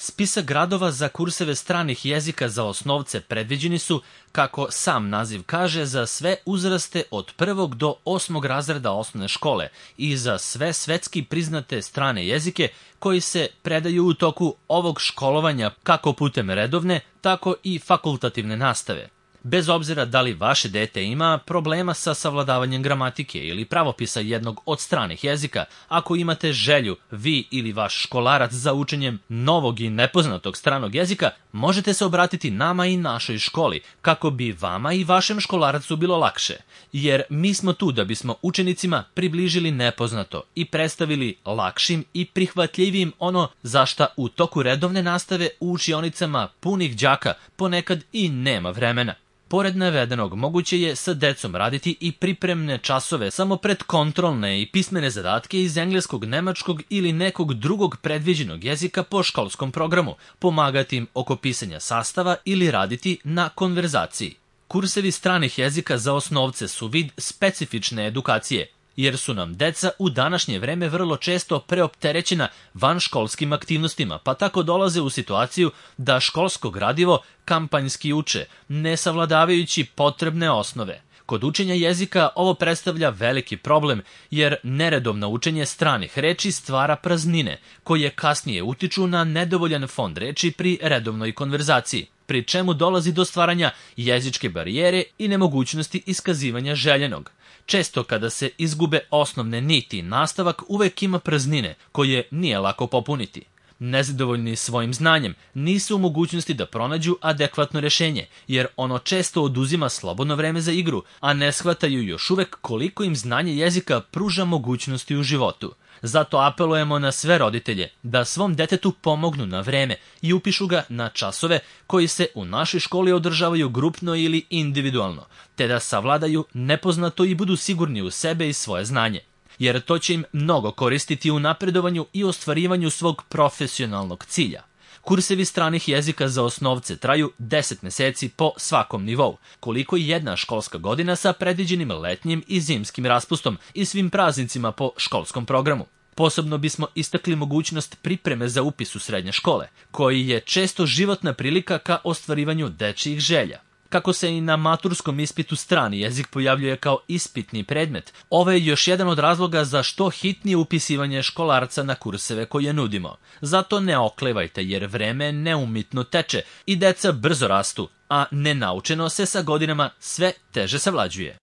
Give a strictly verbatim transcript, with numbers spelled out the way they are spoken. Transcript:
Spisak gradova za kurseve stranih jezika za osnovce predviđeni su, kako sam naziv kaže, za sve uzraste od prvog do osmog razreda osnovne škole i za sve svetski priznate strane jezike koji se predaju u toku ovog školovanja kako putem redovne, tako i fakultativne nastave. Bez obzira da li vaše dete ima problema sa savladavanjem gramatike ili pravopisa jednog od stranih jezika, ako imate želju, vi ili vaš školarac za učenjem novog i nepoznatog stranog jezika, možete se obratiti nama i našoj školi kako bi vama i vašem školaracu bilo lakše. Jer mi smo tu da bismo učenicima približili nepoznato i predstavili lakšim i prihvatljivim ono za šta u toku redovne nastave u učionicama punih đaka ponekad i nema vremena. Pored navedenog, moguće je sa decom raditi i pripremne časove samo pred kontrolne i pismene zadatke iz engleskog, nemačkog ili nekog drugog predviđenog jezika po školskom programu, pomagati im oko pisanja sastava ili raditi na konverzaciji. Kursevi stranih jezika za osnovce su vid specifične edukacije, jer su nam deca u današnje vreme vrlo često preopterećena vanškolskim aktivnostima, pa tako dolaze u situaciju da školsko gradivo kampanjski uče, ne savladavajući potrebne osnove. Kod učenja jezika ovo predstavlja veliki problem, jer neredovno učenje stranih reči stvara praznine, koje kasnije utiču na nedovoljan fond reči pri redovnoj konverzaciji, pri čemu dolazi do stvaranja jezičke barijere i nemogućnosti iskazivanja željenog. Često kada se izgube osnovne niti, nastavak uvek ima praznine koje nije lako popuniti. Nezadovoljni svojim znanjem nisu u mogućnosti da pronađu adekvatno rešenje, jer ono često oduzima slobodno vreme za igru, a ne shvataju još uvek koliko im znanje jezika pruža mogućnosti u životu. Zato apelujemo na sve roditelje da svom detetu pomognu na vreme i upišu ga na časove koji se u našoj školi održavaju grupno ili individualno, te da savladaju nepoznato i budu sigurni u sebe i svoje znanje, jer to će im mnogo koristiti u napredovanju i ostvarivanju svog profesionalnog cilja. Kursevi stranih jezika za osnovce traju deset meseci po svakom nivou, koliko i jedna školska godina sa predviđenim letnjim i zimskim raspustom i svim praznicima po školskom programu. Posebno bismo istakli mogućnost pripreme za upis u srednje škole, koji je često životna prilika ka ostvarivanju dečijih želja. Kako se i na maturskom ispitu strani jezik pojavljuje kao ispitni predmet, ovo je još jedan od razloga za što hitnije upisivanje školarca na kurseve koje nudimo. Zato ne oklevajte, jer vreme neumitno teče i deca brzo rastu, a nenaučeno se sa godinama sve teže savlađuje.